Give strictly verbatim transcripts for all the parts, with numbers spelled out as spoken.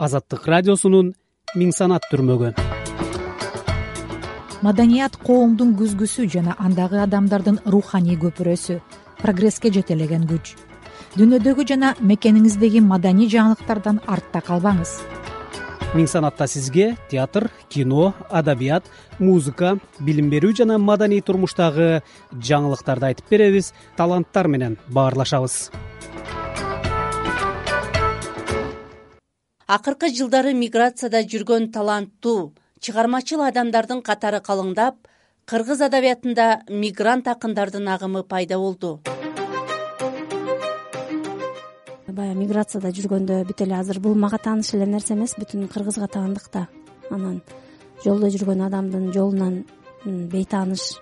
Азаттык радиосунун миң санат түрмөгү. Маданият коомдун күзгүсү жана андагы адамдардын руханий көпүрөсү, прогресске жетелеген күч. Дүйнөдөгү жана мекениңиздеги маданий жаңылыктардан артта калбаңыз. Миң санатта сизге театр, кино, адабият, музыка, билим берүү жана маданий турмуштагы жаңылыктарды айтып беребиз, таланттар менен баарлашабыз. Акыркы жылдары миграцияда жүргөн таланттуу, чыгармачыл адамдардын катары калыңдап, кыргыз адабиятында мигрант акындардын агымы пайда болду. Баягы миграцияда жүргөндө бүт эле азыр бул мага тааныш эле нерсе эмес, бүтүн кыргызга таандык да. Анан жолдо жүргөн адамдын жолунан бейтааныш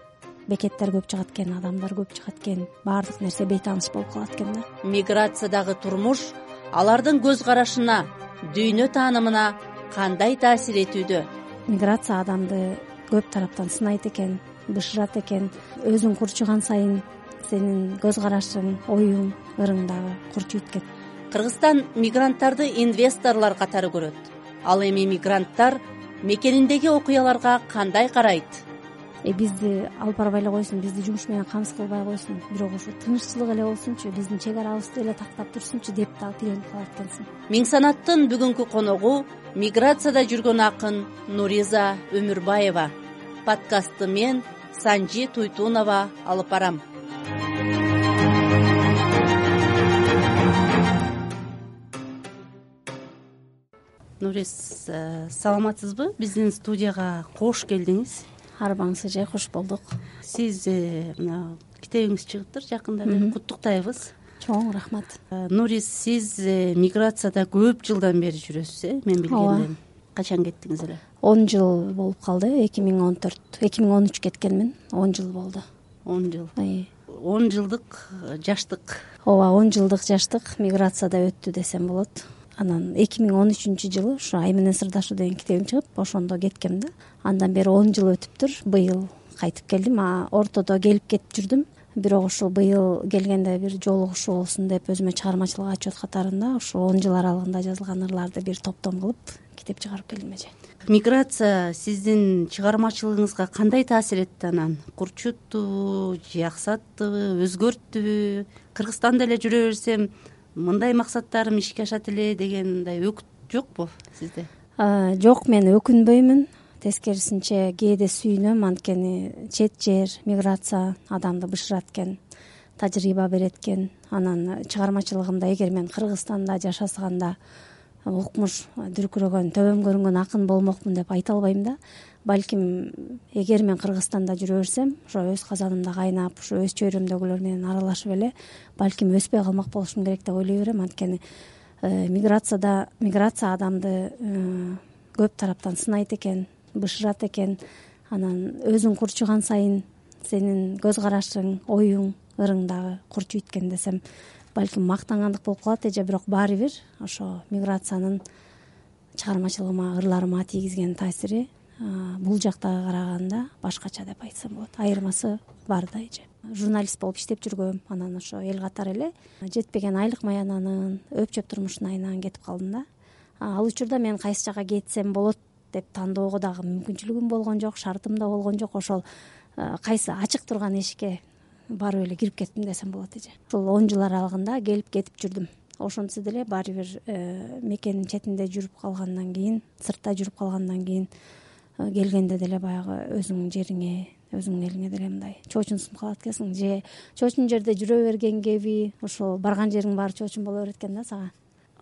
бекеттер көп чыгат экен, адамдар көп чыгат экен, баардык нерсе бейтааныш болуп калат экен да. Миграциядагы турмуш алардын көз карашына, дүйнө таанымына кандай таасир этүүдө? Миграция адамды көп тараптан сынайт экен, бышырат экен. Өзүң курчуган сайын сенин көз карашың, оюң, ырың дагы курчуйт экен. Кыргызстан мигранттарды инвесторлор катары көрөт. Ал эми мигранттар мекениндеги окуяларга кандай карайт? Э бизди алып барбай эле койсун, бизди жумуш менен камсыз кылбай койсун, бирок ушу тыныччылык эле болсунчу, биздин чек арабызды эле тактап турсунчу деп дагы тиленип калат экенсиң. Миң санаттын бүгүнкү коногу миграцияда жүргөн акын Нуриза Өмүрбаева. Подкастты мен Санжи Туйтунова алып барам. Нуриз, саламатсызбы? Биздин студияга кош келдиңиз. Арбаңыз эже, кош болдук. Сиз мына китебиңиз чыгыптыр жакында, куттуктайбыз. Чоң рахмат. Нуриз, сиз миграцияда көп жылдан бери жүрөсүз, э? Мен билгенден. Качан кеттиңиз эле? он жыл болуп калды. эки миң он төрт, эки миң он үч кеткенмин. он жыл болду. он жыл. он жылдык жаштык. Ооба, он жылдык жаштык миграцияда өттү десем болот. Анан эки миң он үчүнчү жылы ушу Ай менен сырдашуу деген китебим чыгып, ошондо кеткем да. Андан бери он жыл өтүптүр. Быйыл кайтып келдим. А ортодо келип кетип жүрдүм. Бирок ушул быйыл келгенде бир жолугушуу болсун деп өзүмө чыгармачылык отчет катарында ушу он жыл аралыгында жазылган ырларды бир топтом кылып китеп чыгарып келдим эже. Миграция сиздин чыгармачылыгыңызга кандай таасир этти анан? Курчутту, жаксаттыбы, өзгөрттүбү? Кыргызстанда эле жүрө берсем, мындай максаттарым ишке ашат эле дегендай өкүт жокпу сизде? Жок, мен өкүнбөймүн. Тескерисинче кээде сүйүнөм, анткени чет жер, миграция адамды бышырат экен, тажрыйба берет экен. Анан чыгармачылыгымда эгер мен Кыргызстанда жашасаганда укмуш дүркүрөгөн, төбөм көрүнгөн акын болмокмун деп айта албайм да. Балким эгер мен Кыргызстанда жүрө берсем, ошо өз казанымда кайнап, ошо өз чөйрөмдөгүлөр менен аралашып эле балким өспөй калмак болушум керек деп ойлой берем. Анткени миграцияда миграция адамды көп тараптан сынайт экен, бышырат экен. Анан өзүң курчуган сайын сенин көз карашың, оюң, ырың дагы курчуйт экен десем, балким мактангандык болуп калат эже. Бирок баары бир ошо миграциянын чыгармачылыгыма, ырларыма тийгизген таасири бул жактагы караганда башкача деп айтсам болот. Айырмасы бар да эже. Журналист болуп иштеп жүргөм, анан ошо эл катары эле жетпеген айлык маянанын, өпчөп турмуштун айынан кетип калдым да. Ал учурда мен кайсы жака кетсем болот деп тандоого дагы мүмкүнчүлүгүм болгон жок, шартым да болгон жок. Ошол кайсы ачык турган эшикке барып эле кирип кеттим десем болот эже. Ушул он жыл аралыгында келип кетип жүрдүм. Ошентсе деле баары бир мекенин четинде жүрүп калгандан кийин, сыртта жүрүп калгандан кийин келгенде деле баягы өзүңүн жериңе, өзүңүн элиңе деле мындай чоочунсуп калат экенсиң. Же чоочун жерде жүрө берген кеби ушул барган жериң баары чоочун боло берет экен да сага.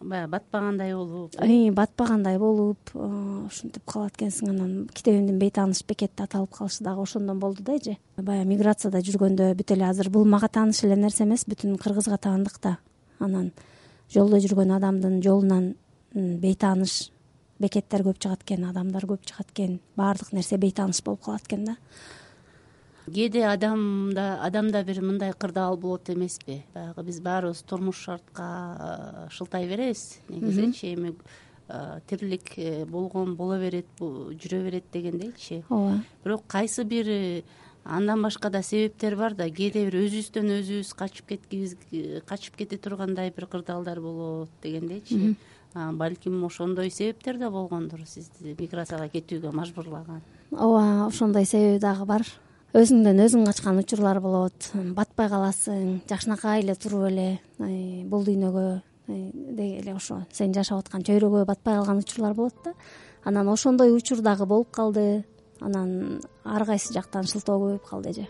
Баягы батпагандай болуп, батпагандай болуп, ушинтип калат экенсиң. Анан китебимдин бейтааныш бекетти аталып калышы дагы ошондон болду да эже. Баягы миграцияда жүргөндө бүт эле азыр бул мага тааныш эле нерсе эмес, бүтүн кыргызга таандык да. Анан жолдо жүргөн адамдын жолунан бейтааныш бекеттер көп чыгат экен, адамдар көп чыгат экен, баардык нерсе бейтааныш болуп калат экен да. Кээде адамда адамда бир мындай кырдаал болот эмеспи? Баягы биз баарыбыз турмуш шартка шылтай беребиз. Негизичи эми тирилик болгон боло берет, жүрө берет дегендейчи. Ооба. Бирок кайсы бир андан башка да себептер бар да. Кээде бир өзүбүздөн өзүбүз качып кеткибиз, качып кете тургандай бир кырдаалдар болот дегендейчи. балким ошондой себептер да болгондур сизди миграцияга кетүүгө мажбурлаган. ооба, ошондой себеби дагы бар. Өзүңдөн өзүң качкан учурлар болот, батпай каласың, жакшынакай эле туруп эле бул дүйнөгө деги эле ошо сен жашап аткан чөйрөгө батпай калган учурлар болот да. Анан ошондой учур дагы болуп калды. Анан ар кайсы жактан шылтоо көбөйүп калды эже.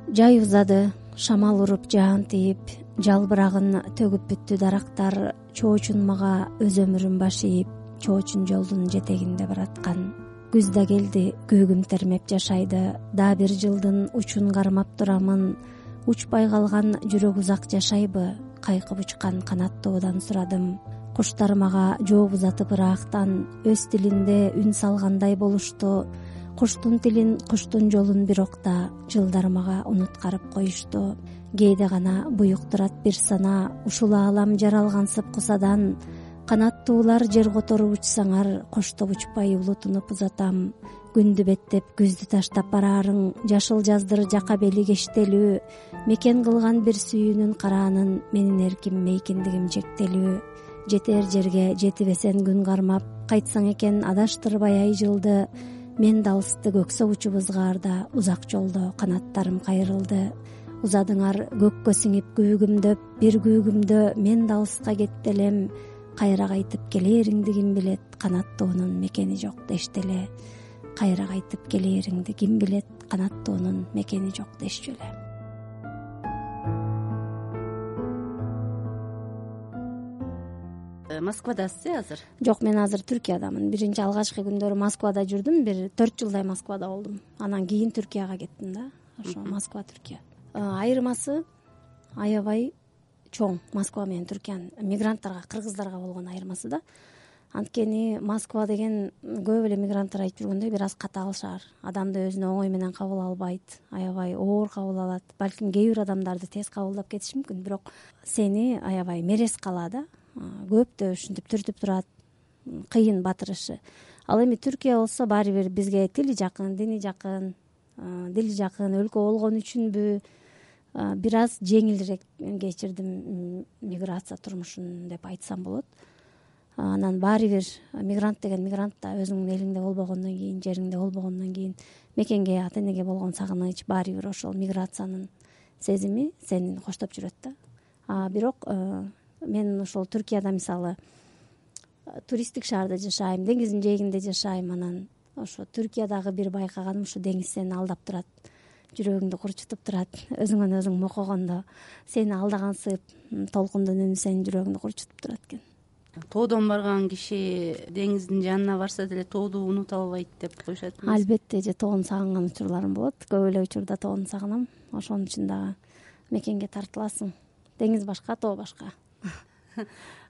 Жай узады, шамал уруп жаан тийип, жалбырагын төгүп бүттү дарактар, чоочун мага өз өмүрүн баш ийип, чоочун жолдун жетегинде бараткан. Күз да келди, күүгүм термеп жашайды, да бир жылдын учун кармап турамын. Учпай калган жүрөк узак жашайбы, кайкып учкан канаттуудан сурадым. Куштар мага жооп узатып ыраактан, өз тилинде үн салгандай болушту. Куштун тилин, куштун жолун бирокта, жылдар мага унуткарып коюшту. Кээде гана буюктурат бир сана, ушул аалам жаралгансып кусадан. Канаттуулар жер которуп учсаңар, коштоп учпай улутунуп узатам. Күндү беттеп, күздү таштап бараарың, жашыл жаздыр жака бели кештелүү. Мекен кылган бир сүйүүнүн караанын, менин эрким мейкиндигим чектелүү. Жетер жерге жетибесен күн кармап, кайтсаң экен адаштырбай ай жылды. Мен да алысты көксөп учуп ызгаарда, узак жолдо канаттарым кайрылды. Узадыңар көккө сиңип күүгүмдөп, бир күүгүмдө мен да алыска кетти элем. Кайра кайтып келээриңди ким билет, канаттуунун мекени жок дешти эле. Кайра кайтып келээриңди ким билет, канаттуунун мекени жок дешчү эле. Москвадасыз э азыр? Жок, мен азыр Түркиядамын. Биринчи алгачкы күндөрү Москвада жүрдүм, бир төрт жылдай Москвада болдум. Анан кийин Түркияга кеттим да. Ошо Москва, Түркия. Айырмасы аябай чоң. Москва менен Түркиянын мигранттарга, кыргыздарга болгон айырмасы да. Анткени Москва деген көп эле мигранттар айтып жүргөндөй бир аз катаал шаар. Адамды өзүнө оңой менен кабыл албайт, аябай оор кабыл алат. Балким кээ бир адамдарды тез кабылдап кетиши мүмкүн, бирок сени аябай мерез калат да. Көптө ушинтип түртүп турат, кыйын батырышы. Ал эми Түркия болсо баары бир бизге тили жакын, дини жакын, дили жакын өлкө болгон үчүнбү бир аз жеңилирээк кечирдим миграция турмушун деп айтсам болот. Анан баары бир мигрант деген мигрант да өзүңдүн элиңде болбогондон кийин, жериңде болбогондон кийин мекенге, ата энеге болгон сагыныч, баары бир ошол миграциянын сезими сени коштоп жүрөт да. А бирок мен ошол Түркияда мисалы туристтик шаарда жашайм, деңиздин жээгинде жашайм. Анан ошо Түркиядагы бир байкаганым ушу деңиз сени алдап турат, жүрөгүңдү курчутуп турат. Өзүңөн өзүң мокогондо сени алдагансып, толкундун үнү сенин жүрөгүңдү курчутуп турат экен. Тоодон барган киши деңиздин жанына барса деле тооду унута албайт деп коюшат. Албетте, же тоону сагынган учурларым болот. Көп эле учурда тоону сагынам. Ошонун үчүн дагы мекенге тартыласың. Деңиз башка, тоо башка.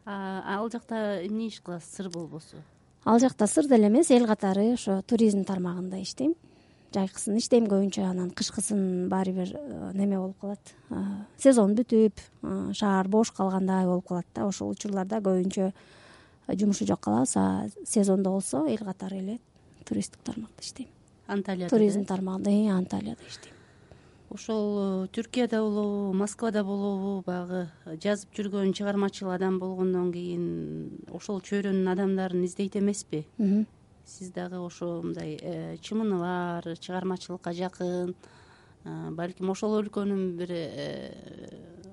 Ал жакта эмне иш кыласыз, сыр болбосу? Ал жакта сыр деле эмес, эл катары ошо туризм тармагында иштейм. Жайкысын иштейм көбүнчө, анан кышкысын баары бир неме болуп калат. Сезон бүтүп, шаар бош калгандай болуп калат да. Ошол учурларда көбүнчө жумушу жок калабыз, а сезондо болсо эл катары эле туристтик тармакта иштейм. Анталияда? Туризм тармагында, Анталияда иштейм. Ошол Түркияда болобу, Москвада болобу, баягы жазып жүргөн чыгармачыл адам болгондон кийин ошол чөйрөнүн адамдарын издейт эмеспи? Сиз дагы ошо мындай чымыны бар, чыгармачылыкка жакын, балким ошол өлкөнүн бир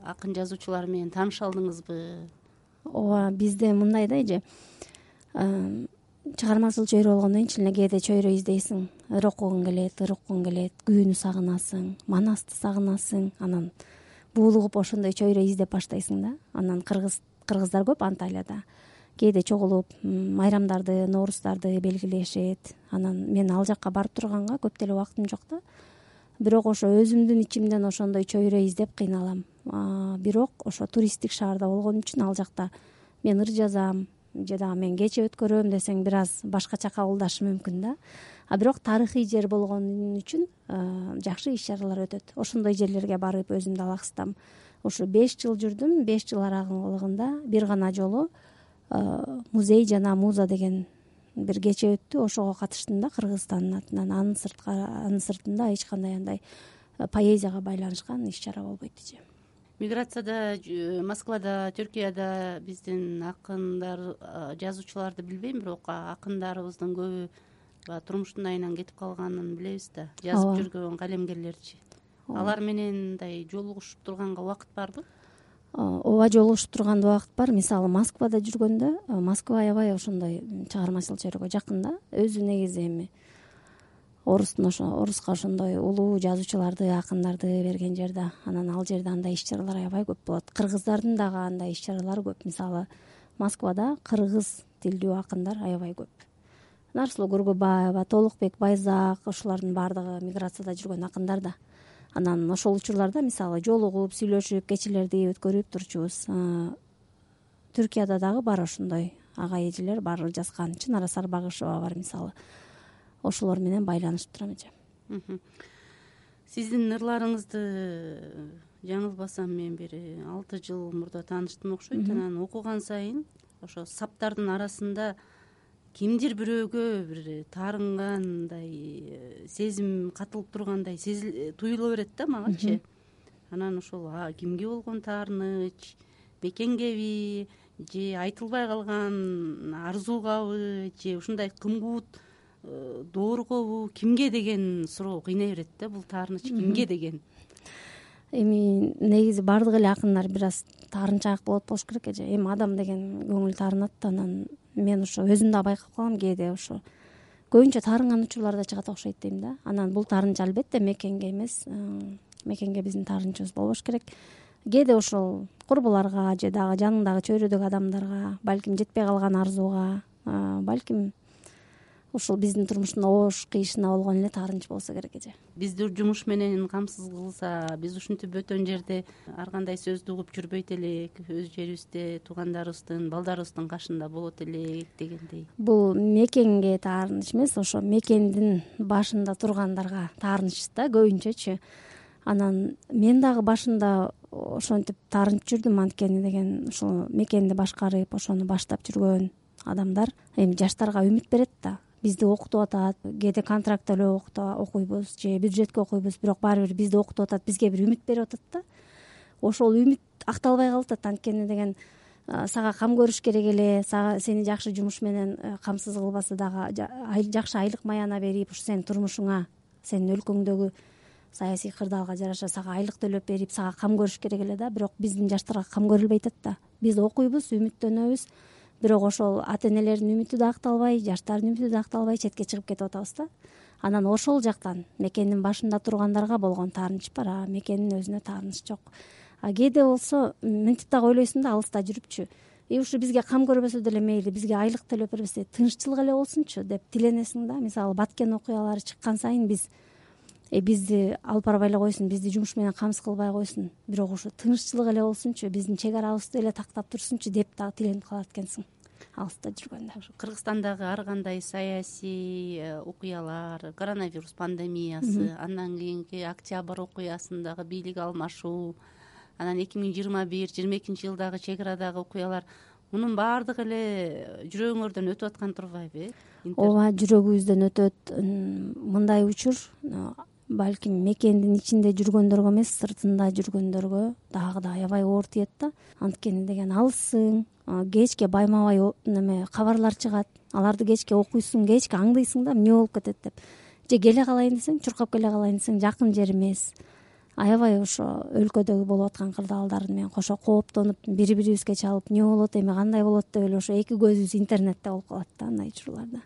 акын жазуучулары менен тааныша алдыңызбы? Ооба, бизде мындай да эже. Чыгармачыл чөйрө болгондон кийин чын эле кээде чөйрө издейсиң, ыр окугуң келет, ыр уккуң келет, күүнү сагынасың, манасты сагынасың. Анан буулугуп ошондой чөйрө издеп баштайсың да. Анан кыргыз кыргыздар көп Анталияда. Кээде чогулуп майрамдарды, ноорустарды белгилешет. Анан мен ал жакка барып турганга көп деле убактым жок да. Бирок ошо өзүмдүн ичимден ошондой чөйрө издеп кыйналам. Бирок ошо туристтик шаарда болгон үчүн ал жакта мен ыр жазам, же дагы мен кече өткөрөм десең бир аз башкача кабылдашы мүмкүн да. А бирок тарыхый жер болгон үчүн жакшы иш чаралар өтөт. Ошондой жерлерге барып өзүмдү алаксытам. Ошо беш жыл жүрдүм. беш жыл аралыгында бир гана жолу музей жана муза деген бир кече өттү, ошого катыштым да Кыргызстандын атынан. Анын сыртка анын сыртында эч кандай андай поэзияга байланышкан иш чара болбойт эже. Миграцияда, Москвада, Түркияда биздин акындар, жазуучуларды билбейм, бирок акындарыбыздын көбү баягы турмуштун айынан кетип калганын билебиз да. Жазып жүргөн калемгерлерчи. Алар менен мындай жолугушуп турганга убакыт барбы? Ооба, жолугушуп турганда убакыт бар. Мисалы Москвада жүргөндө, Москва аябай ошондой чыгармачыл чөйрөгө жакын да. Өзү негизи эми орустун ошо оруска ошондой улуу жазуучуларды, акындарды берген жер да. Анан ал жерде андай иш чаралар аябай көп болот. Кыргыздардын дагы андай иш чаралары көп. Мисалы Москвада кыргыз тилдүү акындар аябай көп. Нарсулуу Гургубаева, Толукбек Байзак, ошолордун баардыгы миграцияда жүргөн акындар да. Анан ошол учурларда мисалы жолугуп, сүйлөшүп, кечелерди өткөрүп турчубуз. Түркияда дагы бар ошондой ага эжелер бар жазган. Чынара Сарбагышева бар мисалы. Ошолор менен байланышып турам эже. Сиздин ырларыңызды жаңылбасам мен бир алты жыл мурда тааныштым окшойт. Анан окуган сайын ошо саптардын арасында кимдир бирөөгө бир таарынгандай сезим катылып тургандай туюла берет да магачы. Анан ошол кимге болгон таарыныч, мекенгеби же айтылбай калган арзуугабы же ушундай кымгуут дооргобу, кимге деген суроо кыйнай берет да. Бул таарыныч кимге деген? Эми негизи баардык эле акындар бир аз таарынчаак болот болуш керек эже. Эми адам деген көңүл таарынат. Анан мен ошо өзүм да байкап калам, кээде ошо көбүнчө таарынган учурларда чыгат окшойт дейм да. Анан бул таарынч албетте мекенге эмес, мекенге биздин таарынчыбыз болбош керек. Кээде ошол курбуларга же дагы жаныңдагы чөйрөдөгү адамдарга, балким жетпей калган арзууга, балким ушул биздин турмуштун оош кыйышына болгон эле таарынч болсо керек эже. Бизди жумуш менен камсыз кылса, биз ушинтип бөтөн жерде ар кандай сөздү угуп жүрбөйт элек, өз жерибизде туугандарыбыздын, балдарыбыздын кашында болот элек дегендей. Бул мекенге таарыныч эмес, ошо мекендин башында тургандарга таарыныч да көбүнчөчү. Анан мен дагы башында ошентип таарынч жүрдүм, анткени деген ушул мекенди башкарып, ошону баштап жүргөн адамдар эми жаштарга үмүт берет да. Бизди окутуп атат, кээде контракт эле окуйбуз же бюджетке окуйбуз, бирок баары бир бизди окутуп атат, бизге бир үмүт берип атат да. Ошол үмүт акталбай калып атат, анткени деген сага кам көрүш керек эле, сени жакшы жумуш менен камсыз кылбаса дагы жакшы айлык маяна берип, ушу сенин турмушуңа, сенин өлкөңдөгү саясий кырдаалга жараша сага айлык төлөп берип, сага кам көрүш керек эле да. Бирок биздин жаштарга кам көрүлбөй атат да. Биз окуйбуз, үмүттөнөбүз, бирок ошол ата энелердин үмүтү да акталбай, жаштардын үмүтү да акталбай четке чыгып кетип атабыз да. Анан ошол жактан мекендин башында тургандарга болгон таарынч бар, а мекендин өзүнө таарыныч жок. А кээде болсо мынтип дагы ойлойсуң да, алыста жүрүпчү, и ушу бизге кам көрбөсө деле мейли, бизге айлык төлөп бербесе, тынччылык эле болсунчу деп тиленесиң да. Мисалы Баткен окуялары чыккан сайын биз э бизди алып барбай эле койсун, бизди жумуш менен камсыз кылбай койсун, бирок ушу тынччылык эле болсунчу, биздин чек арабызды эле тактап турсунчу деп дагы тиленип калат экенсиң алыста жүргөндө. Кыргызстандагы ар кандай саясий окуялар, коронавирус пандемиясы, андан кийинки октябрь окуясындагы бийлик алмашуу, анан эки миң жыйырма бир жыйырма экинчи жылдагы чек арадагы окуялар, мунун баардыгы эле жүрөгүңөрдөн өтүп аткан турбайбы? Ооба, жүрөгүбүздөн өтөт. Мындай учур балким мекендин ичинде жүргөндөргө эмес, сыртында жүргөндөргө дагы да аябай оор тиет да. Анткени деген алыссың, кечке байма-бай неме кабарлар чыгат, аларды кечке окуйсуң, кечке аңдыйсың да эмне болуп кетет деп. Же келе калайын десең, чуркап келе калайын десең, жакын жер эмес. Аябай ошо өлкөдөгү болуп аткан кырдаалдар менен кошо кооптонуп, бири-бирибизге чалып, эмне болот, эми кандай болот деп эле ошо эки көзүбүз интернетте болуп калат да андай учурларда.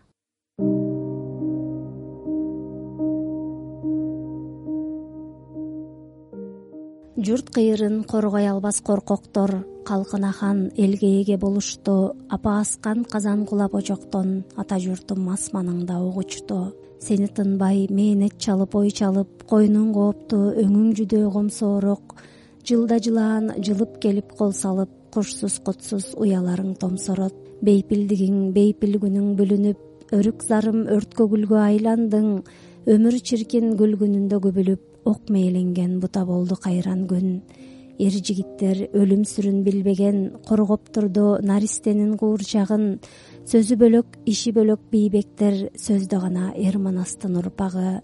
Журт кыйырын коргой албас коркоктор, калкына хан элге эге болушту, апа аскан казан кулап очоктон, ата журтум асманыңда угучту. Сени тынбай мээнет чалып, ой чалып, койнуң коопту, өңүң жүдөө комсоорок, жылда жылаан жылып келип кол салып, кушсуз кутсуз уяларың томсорот. Бейпилдигиң бейпил күнүң бүлүнүп, өрүк зарым өрткө гүлгө айландың, өмүр чиркин гүл күнүндө күбүлүп, ок мээленген бута болду кайран күн. Эр жигиттер өлүм сүрүн билбеген, коргоп турду наристенин куурчагын, сөзү бөлөк иши бөлөк бийбектер сөздө гана эр манастын урпагы.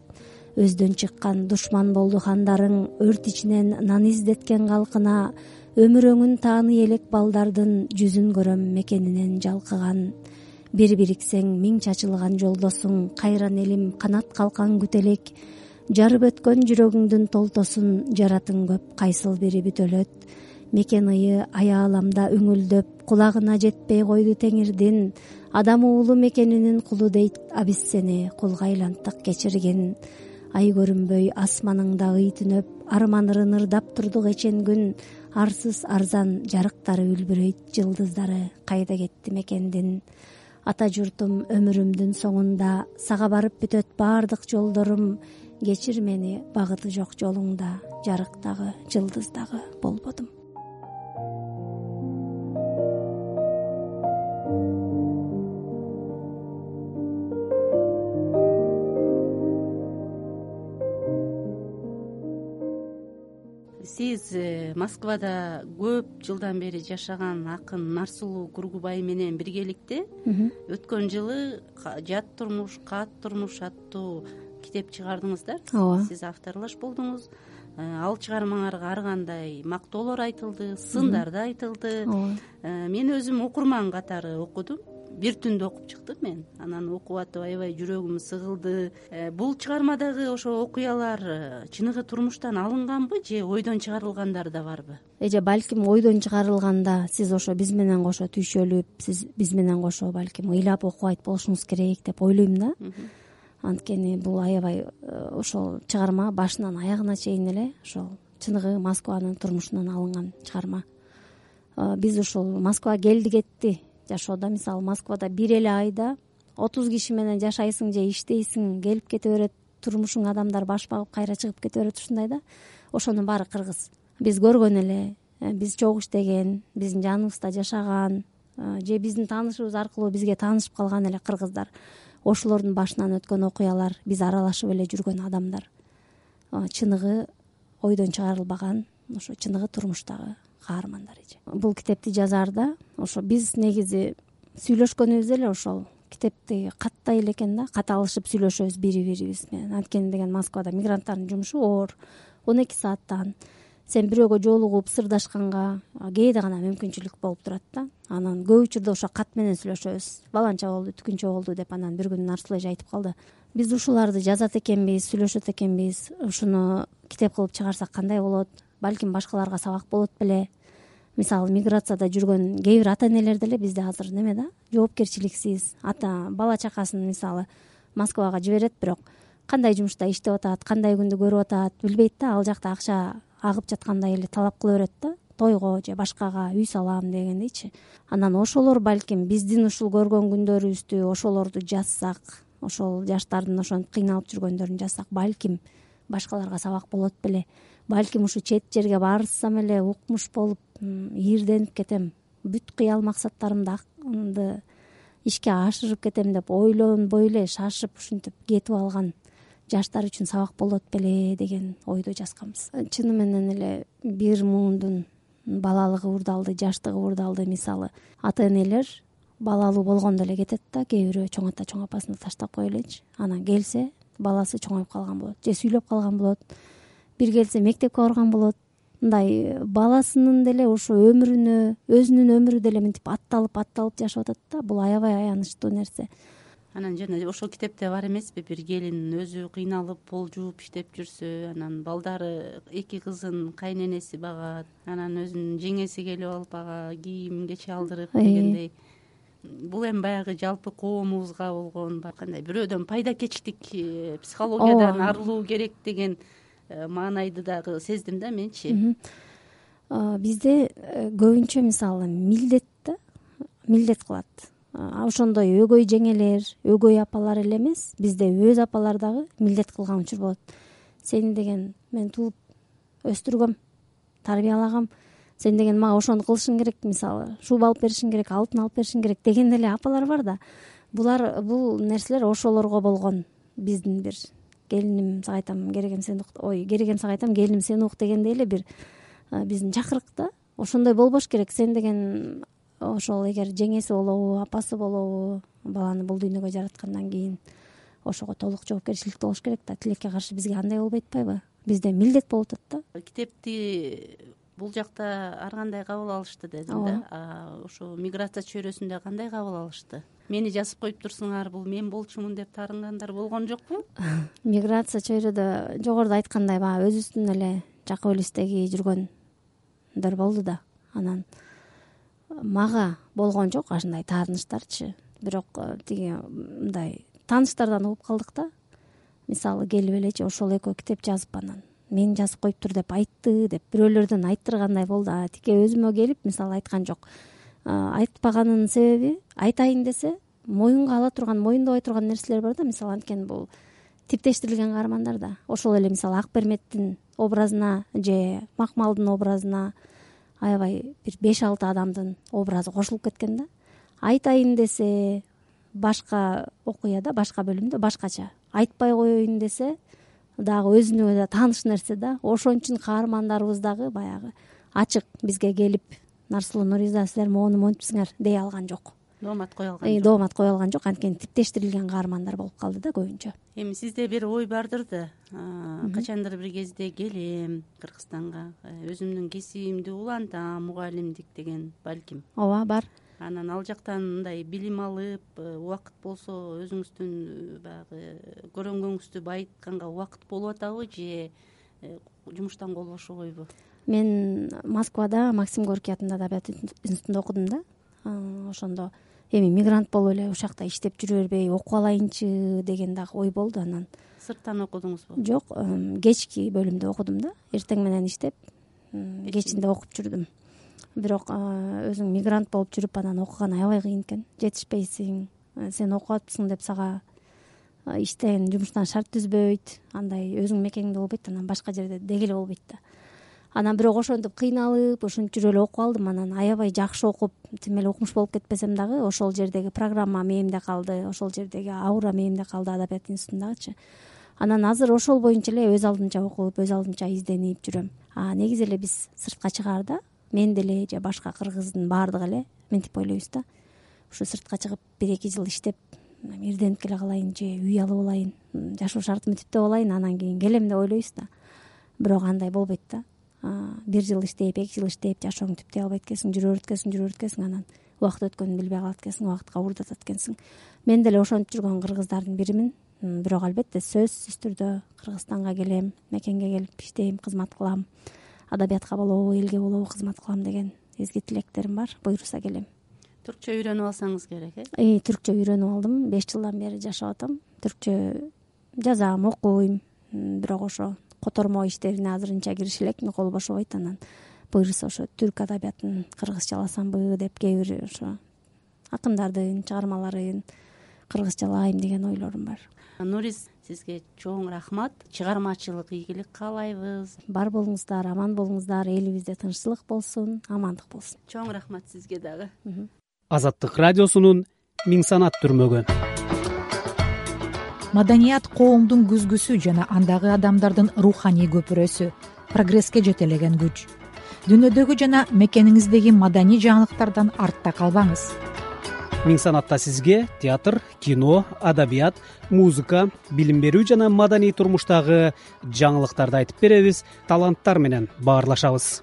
Өздөн чыккан душман болду хандарың, өрт ичинен нан издеткен калкына, өмүр өңүн тааны элек балдардын жүзүн көрөм мекенинен жалкыган. Бир бириксең миң чачылган жолдосуң, кайран элим канат калкан күтө элек. Жарып өткөн жүрөгүңдүн толтосун, жаратың көп кайсыл бири бүтөлөт. Мекен ые аяламда үңүлдөп, кулагына жетпей койду теңирдин. Адам уулу мекенинин кулу дейт, а биз сени кулга айлантык кечиргин. Ай көрүнбөй асманыңда ый түнөп, арманырын ырдап турдук эчен күн. Арсыз арзан жарыктары үлбүрөйт, жылдыздары кайда кетти мекендин. Ата журтум өмүрүмдүн соңунда, сага барып бүтөт баардык жолдорум. Кечир мени багыты жок жолуңда, жарыктагы жылдыздагы болбодум. Сиз Москвада көп жылдан бери жашаган акын Нарсулуу Кургубай менен биргеликте өткөн жылы Жат турмуш, Кат турмуш аттуу китеп чыгардыңыздар. Ооба. Сиз авторлаш болдуңуз. Ал чыгармаңарга ар кандай мактоолор айтылды, сындар да айтылды. Мен өзүм окурман катары окудум. Бир түндө окуп чыктым мен. Анан окуп атып аябай жүрөгүм сыгылды. Бул чыгармадагы ошо окуялар чыныгы турмуштан алынганбы же ойдон чыгарылгандар да барбы? Эже балким ойдон чыгарылганда сиз ошо биз менен кошо түйшөлүп, сиз биз менен кошо балким ыйлап окубайт болушуңуз керек деп ойлойм да. Анткени бул аябай ошол чыгарма башынан аягына чейин эле ошол чыныгы Москванын турмушунан алынган чыгарма. Биз ушул Москвага келди кетти жашоодо, мисалы Москвада бир эле айда отуз киши менен жашайсың же иштейсиң, келип кете берет, турмушуң адамдар баш багып кайра чыгып кете берет, ушундай да. Ошонун баары кыргыз. Биз көргөн эле, биз чогуу иштеген, биздин жаныбызда жашаган же биздин таанышыбыз аркылуу бизге таанышып калган эле кыргыздар. Ошолордун башынан өткөн окуялар, биз аралашып эле жүргөн адамдар. Чыныгы ойдон чыгарылбаган, ошо чыныгы турмуштагы каармандар эже. Бул китепти жазаарда ошо биз негизи сүйлөшкөнүбүз эле ошол китепти каттай эле экен да, кат алышып сүйлөшөбүз бири бирибиз менен. Анткени деген Москвада мигранттардын жумушу оор, он эки сааттан. Сен бирөөгө жолугуп сырдашканга кээде гана мүмкүнчүлүк болуп турат да. Анан көп учурда ошо кат менен сүйлөшөбүз. Баланча болду, түкүнчө болду деп анан бир күнү Нарсул эже айтып калды. Биз ушуларды жазат экенбиз, сүйлөшөт экенбиз. Ушуну китеп кылып чыгарсак кандай болот? Балким башкаларга сабак болот беле? Мисалы миграцияда жүргөн кээ бир ата энелер деле бизде азыр неме да, жоопкерчиликсиз. Ата бала чакасын мисалы Москвага жиберет, бирок кандай жумушта иштеп атат, кандай күндү көрүп атат билбейт да. Ал жакта акча агып жаткандай эле талап кыла берет да, тойго же башкага үй салам дегендейчи. Анан ошолор балким биздин ушул көргөн күндөрүбүздү ошолорду жазсак, ошол жаштардын ошентип кыйналып жүргөндөрүн жазсак, балким башкаларга сабак болот беле. Балким ушу чет жерге барсам эле укмуш болуп ийирденип кетем, бүт кыял максаттарымды ишке ашырып кетем деп ойлонбой эле шашып ушинтип кетип алган жаштар үчүн сабак болот беле деген ойдо жазганбыз. Чыны менен эле бир муундун балалыгы урдалды, жаштыгы урдалды. Мисалы ата энелер балалуу болгондо эле кетет да, кээ бирөө чоң ата чоң апасына таштап кое элечи. Анан келсе баласы чоңоюп калган болот же сүйлөп калган болот, бир келсе мектепке барган болот. Мындай баласынын деле ошо өмүрүнө, өзүнүн өмүрү деле мынтип атталып атталып жашап атат да. Бул аябай аянычтуу нерсе. Анан жана ошол китепте бар эмеспи, бир келин өзү кыйналып пол жууп иштеп жүрсө, анан балдары эки кызын кайненеси багат, анан өзүнүн жеңеси келип алып ага кийим кече алдырып дегендей. Бул эми баягы жалпы коомубузга болгон кандай бирөөдөн пайдакечтик, психологиядан арылуу керек деген маанайды дагы сездим да менчи. Бизде көбүнчө мисалы милдет да, милдет кылат. Ошондой өгөй жеңелер, өгөй апалар эле эмес, бизде өз апалар дагы милдет кылган учур болот. Сени деген мен тууп өстүргөм, тарбиялагам, сен деген мага ошону кылышың керек, мисалы шуба алып беришиң керек, алтын алып беришиң керек деген эле апалар бар да. Булар бул нерселер ошолорго болгон биздин бир келиним сага айтам, керегем сен ук, ой, керегем сага айтам, келиним сен ук дегендей эле бир биздин чакырык да. Ошондой болбош керек. Сен деген ошол эгер жеңеси болобу, апасы болобу, баланы бул дүйнөгө жараткандан кийин ошого толук жоопкерчиликти болуш керек да. Тилекке каршы бизге андай болбой атпайбы? Бизде милдет болуп атат да. Китепти бул жакта ар кандай кабыл алышты дедим да. Ошо миграция чөйрөсүндө кандай кабыл алышты? Мени жазып коюп турсуңар, бул мен болчумун деп таарынгандар болгон жокпу? Миграция чөйрөдө жогоруда айткандай баягы өзүбүздүн эле жакып элестеги жүргөндөр болду да. Анан мага болгон жок ашындай таарынычтарчы. Бирок тиги мындай тааныштардан угуп калдык да. Мисалы келип элечи ошол экөө китеп жазып анан мен жазып коюптур деп айтты деп бирөөлөрдөн айттыргандай болду. А тике өзүмө келип мисалы айткан жок. Айтпаганынын себеби айтайын десе моюнга ала турган, моюндобой турган нерселер бар да. Мисалы анткени бул типтештирилген каармандар да. Ошол эле мисалы Акберметтин образына же Макмалдын образына аябай бир беш алты адамдын образы кошулуп кеткен да. Айтайын десе башка окуяда, башка бөлүмдө башкача. Айтпай коеюн десе дагы өзүнө да тааныш нерсе да. Ошон үчүн каармандарыбыз дагы баягы ачык бизге келип Нарсулуу Нуриза силер моуну монтипсиңер дей алган жок. Доомат кое алган жок. Доомат кое алган жок. Анткени типтештирилген каармандар болуп калды да көбүнчө. Эми сизде бир ой бардыр да. Качандыр бир кезде келем Кыргызстанга, өзүмдүн кесибимди улантам, мугалимдик деген балким. Ооба, бар. Анан ал жактан мындай билим алып, убакыт болсо өзүңүздүн баягы көрөнгөнүңүздү байытканга убакыт болуп атабы же жумуштан кол бошобойбу? Мен Москвада Максим Горький атындагы Адабият институтунда окудум да. Ошондо эми мигрант болуп эле ушул жакта иштеп жүрө бербей окуп алайынчы деген дагы ой болду. Анан сырттан окудуңузбу? Жок, кечки бөлүмдө окудум да. Эртең менен иштеп, кечинде окуп жүрдүм. Бирок өзүң мигрант болуп жүрүп анан окуган аябай кыйын экен. Жетишпейсиң, сен окуп атпсың деп сага иштен, жумуштан шарт түзбөйт, андай өзүң мекениңде болбойт, анан башка жерде деги эле болбойт да. Анан бирок ошентип кыйналып, ошентип жүрүп эле окуп алдым. Анан аябай жакшы окуп, тим эле укмуш болуп кетпесем дагы, ошол жердеги программа мээмде калды, ошол жердеги аура мээмде калды Адабият институтундагычы. Анан азыр ошол боюнча эле өз алдынча окуп, өз алдынча изденип жүрөм. А негизи эле биз сыртка чыгаарда мен деле же башка кыргыздын баардыгы эле мынтип ойлойбуз да. Ушу сыртка чыгып бир эки жыл иштеп, ирденип келе калайын же үй алып алайын, жашоо шартымды түптөп алайын, анан кийин келем деп ойлойбуз да. Бирок андай болбойт да. Бир жыл иштеп, эки жыл иштеп, жашооңду түптөй албайт экенсиң, жүрө өткөсүң, жүрө өткөсүң, анан убакыт өткөнүн билбей калат экенсиң, убакытка уурдатат экенсиң. Мен деле ошентип жүргөн кыргыздардын биримин. Бирок албетте сөзсүз түрдө Кыргызстанга келем, мекенге келип иштейм, кызмат кылам. Адабиятка болобу, элге болобу кызмат кылам деген изги тилектерим бар. Буйруса келем. Түркчө үйрөнүп алсаңыз керек, э? Э, түркчө үйрөнүп алдым. беш жылдан бери жашап атам. Түркчө жазам, окуйм. Бирок ошо котормо иштерине азырынча кириши элекмин, кол бошобойт. Анан буйруса ошо түрк адабиятын кыргызчаласамбы деп кээ бир ошо акындардын чыгармаларын кыргызчалайм деген ойлорум бар. Нуриз, сизге чоң рахмат. Чыгармачылык ийгилик каалайбыз. Бар болуңуздар, аман болуңуздар, элибизде тынччылык болсун, амандык болсун. Чоң рахмат сизге дагы. Азаттык радиосунун Миң санат түрмөгү. Маданият коомдун күзгүсү жана андагы адамдардын руханий көпүрөсү, прогресске жетелеген күч. Дүйнөдөгү жана мекениңиздеги маданий жаңылыктардан артта калбаңыз. Миң санатта сизге театр, кино, адабият, музыка, билим берүү жана маданий турмуштагы жаңылыктарды айтып беребиз, таланттар менен баарлашабыз.